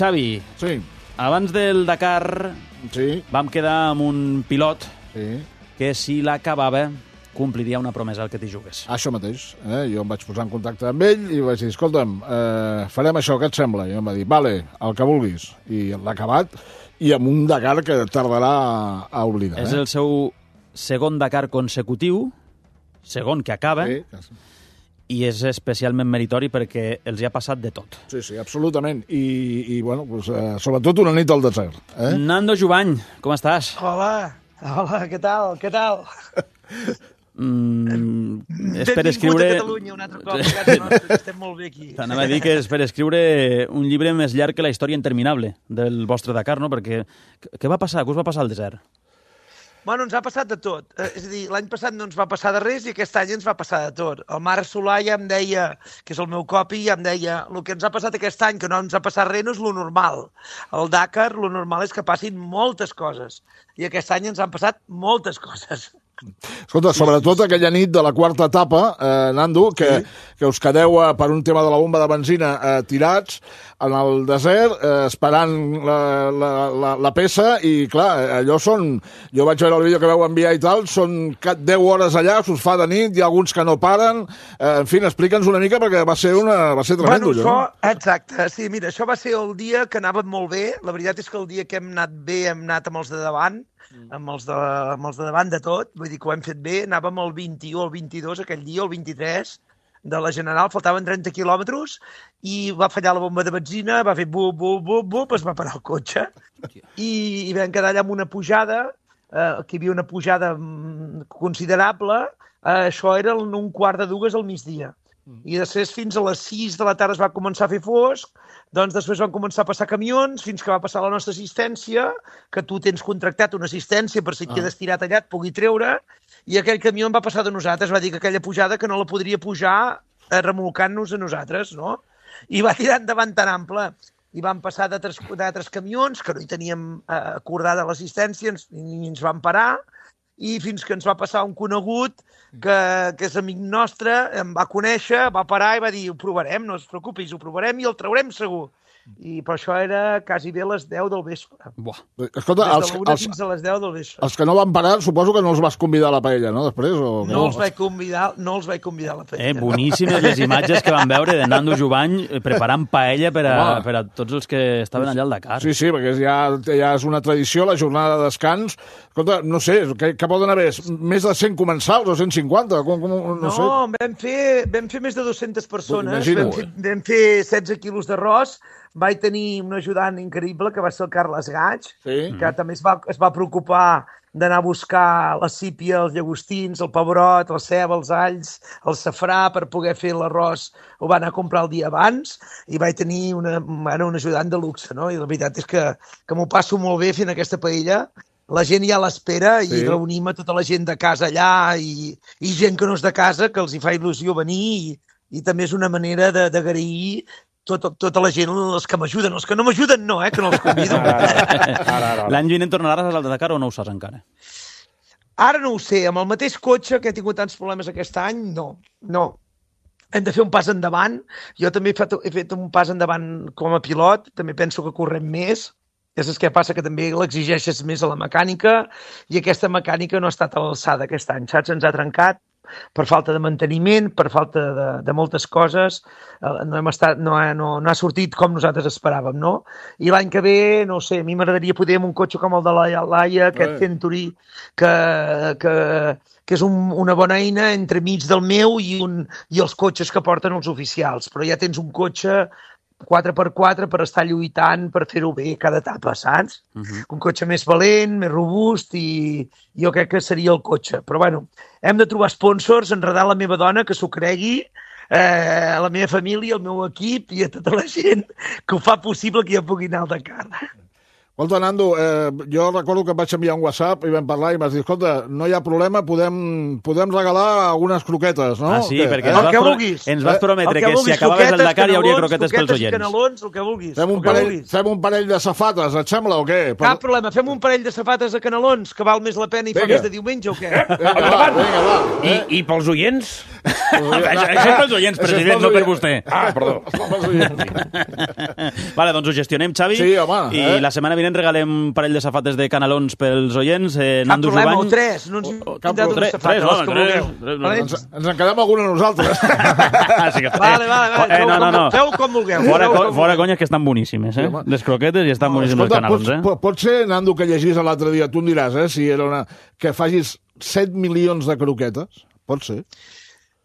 Xavi, Sí. abans del Dakar vam quedar amb un pilot que si l'acabava compliria una promesa al que t'hi jugues. Això mateix. Jo em vaig posar en contacte amb ell i vaig dir, escolta'm, farem això, què et sembla? I em va dir, vale, el que vulguis. I l'ha acabat, i amb un Dakar que tardarà a oblidar. És el seu segon Dakar consecutiu, segon que acaba, i és especialment meritori perquè els hi ha passat de tot. Sí, absolutament. I bueno, sobretot una nit al desert. Nando Jubany, com estàs? Hola, què tal? És per escriure... Benvingut a Catalunya un altre cop, a casa nostra, estem molt bé aquí. T'anava a dir que és per escriure un llibre més llarg que la història interminable del vostre Dakar, no? Perquè què va passar? Què us va passar al desert? Bueno, ens ha passat de tot. És a dir, l'any passat no ens va passar de res i aquest any ens va passar de tot. El Marc Solà ja em deia, que és el meu copi, ja em deia el que ens ha passat aquest any, que no ens ha passat res, no és lo normal. Al Dakar, lo normal és que passin moltes coses. I aquest any ens han passat moltes coses. Escolta, sobretot aquella nit de la quarta etapa, Nando, que us quedeu per un tema de la bomba de benzina tirats en el desert, esperant la peça, i clar, allò són... Jo vaig veure el vídeo que vau enviar i tal, són 10 hores allà, us fa de nit, hi ha alguns que no paren... En fi, explica'ns una mica, perquè va ser tremendo, allò. Bueno, exacte, sí, mira, això va ser el dia que anàvem molt bé. La veritat és que el dia que hem anat bé hem anat amb els de davant, amb els de davant de tot, vull dir que ho hem fet bé, anàvem el 21 o el 22 aquell dia, el 23 de la General, faltaven 30 quilòmetres i va fallar la bomba de benzina, va fer bup, es va parar el cotxe i vam quedar allà amb una pujada, que hi havia una pujada considerable, això era un quart de dues al migdia. I després fins a les 6 de la tarda es va començar a fer fosc, doncs després van començar a passar camions fins que va passar la nostra assistència, que tu tens contractat una assistència per si et quedes tirat allà et pugui treure, i aquell camió en va passar de nosaltres, va dir que aquella pujada que no la podria pujar remolcant-nos a nosaltres, no? I va tirar endavant tan ample. I van passar d'altres camions que no hi teníem acordada l'assistència i ens van parar, i fins que ens va passar un conegut que és amic nostre, em va conèixer, va parar i va dir, ho provarem, no es preocupis, ho provarem i el traurem segur. I per això era quasi bé a les 10 del vespre. Escolta, des de l'1 fins a les 10 del vespre. Els que no van parar, suposo que no els vas convidar a la paella, no? Després, o... No els vaig convidar a la paella. Boníssimes les imatges que van veure de Nando Jubany preparant paella per a tots els que estaven allà al Dakar. Sí, perquè ja és una tradició, la jornada de descans. Escolta, no sé, què poden haver? Més de 100 comensals o 150? No sé. Vam fer més de 200 persones. Vam fer 16 quilos d'arròs. Vaig tenir un ajudant increïble, que va ser el Carles Gaig, que també es va preocupar d'anar a buscar la sípia, els llagostins, el pebrot, la ceba, els alls, el safrà, per poder fer l'arròs. Ho va anar a comprar el dia abans i vaig tenir un ajudant de luxe, no? I la veritat és que m'ho passo molt bé fent aquesta paella. La gent ja l'espera i reunim a tota la gent de casa allà i gent que no és de casa, que els hi fa il·lusió venir i també és una manera d'agrair tota la gent, els que m'ajuden. Els que no m'ajuden no, que no els convido. L'any vinent tornaràs al Dakar o no ho saps encara? Ara no ho sé. Amb el mateix cotxe que he tingut tants problemes aquest any, no. Hem de fer un pas endavant. Jo també he fet un pas endavant com a pilot. També penso que correm més. És el que passa, que també l'exigeixes més a la mecànica i aquesta mecànica no ha estat a l'alçada aquest any, saps? Ens ha trencat per falta de manteniment, per falta de moltes coses, no ha sortit com nosaltres esperàvem, no? I l'any que ve, no sé, a mi m'agradaria poder amb un cotxe com el de la Laia, aquest Century, que és una bona eina entre mig del meu i els cotxes que porten els oficials, però ja tens un cotxe 4x4 per estar lluitant, per fer-ho bé cada etapa, saps? Un cotxe més valent, més robust, i jo crec que seria el cotxe. Però bueno, hem de trobar sponsors, enredar la meva dona, que s'ho cregui, a la meva família, al meu equip i a tota la gent que ho fa possible que jo pugui anar al Dakar. Escolta, Nando, jo recordo que et vaig enviar un WhatsApp i vam parlar i m'has dit, escolta, no hi ha problema, podem regalar algunes croquetes, no? Ah, sí, perquè ens vas prometre que si acabaves el Dakar hi hauria croquetes pels oients. Canelons, el que vulguis. Fem un parell de safates, et sembla, o què? Cap problema, fem un parell de safates de canelons, que val més la pena i fa més de diumenge, o què? Vinga, va. I pels oients? Això és pels oients, president, no per vostè. Ah, perdó. Vale, doncs ho gestionem, Xavi. Sí, home. I la setmana vinent regalem un parell de safates de canelons pels oients. Cap problema, o tres. No ens tindrà dues safates, els que vulgueu. Ens en quedem alguna nosaltres. Vale. Feu com vulgueu. Fora conyes, que estan boníssimes, les croquetes, i estan boníssimes els canelons, Pot ser, Nando, que llegís l'altre dia, tu em diràs, si era que facis 7 milions de croquetes. Pot ser.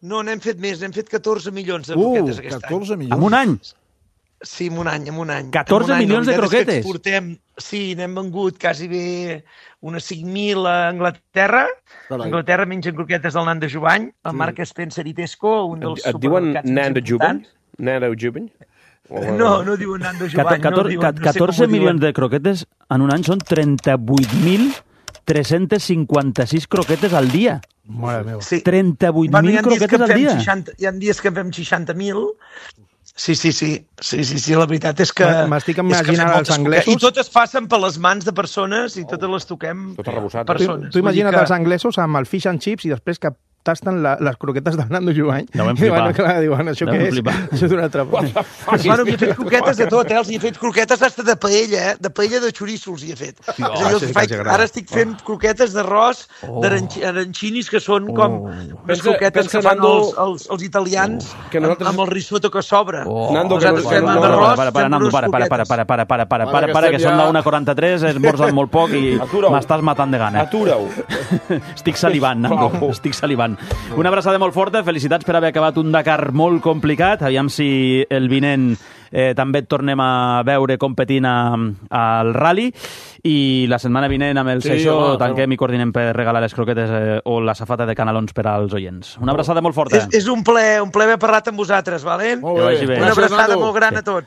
No, n'hem fet més, n'hem fet 14 milions de croquetes aquest 14 milions. En un any? Sí, en un any. 14 milions de croquetes? Sí, n'hem vengut quasi bé unes 5.000 a Anglaterra. A Anglaterra mengen croquetes del Nando Jubany, el Marc Spencer i Tesco, un dels supermercats. Et diuen Nando Jubany? Nando Jubany? No diuen Nando Jubany. 14 milions de croquetes en un any són 38.356 croquetes al dia. Mare meva. 38.000 croquetes al dia. Hi ha dies que en fem 60.000. Sí, la veritat és que... M'estic imaginant els anglesos... I totes passen per les mans de persones i totes les toquem persones. Tu imagina't els anglesos amb el fish and chips i després que tasten les croquetes del Nando Jubany. Deuen flipar. Clar, diuen, això què és? Això és una altra cosa. Bueno, m'hi he fet croquetes de tot, els hi he fet croquetes hasta de paella, de paella de xoriço els hi he fet. Ara estic fent croquetes d'arròs d'arancinis, que són com les croquetes que fan els italians amb el risotto que sobra. Nando, Para, que són la 1:43, esmorzen molt poc i m'estàs matant de gana. Atura-ho. Estic salivant, Nando, estic salivant. Una abraçada molt forta, felicitats per haver acabat un Dakar molt complicat. Aviam si el vinent també et tornem a veure competint al rally, i la setmana vinent amb el Seixó tanquem i coordinem per regalar les croquetes o la safata de canelons per als oients. Una abraçada molt forta. És un plaer haver parlat amb vosaltres, vale? Molt bé. Una abraçada molt gran a tots.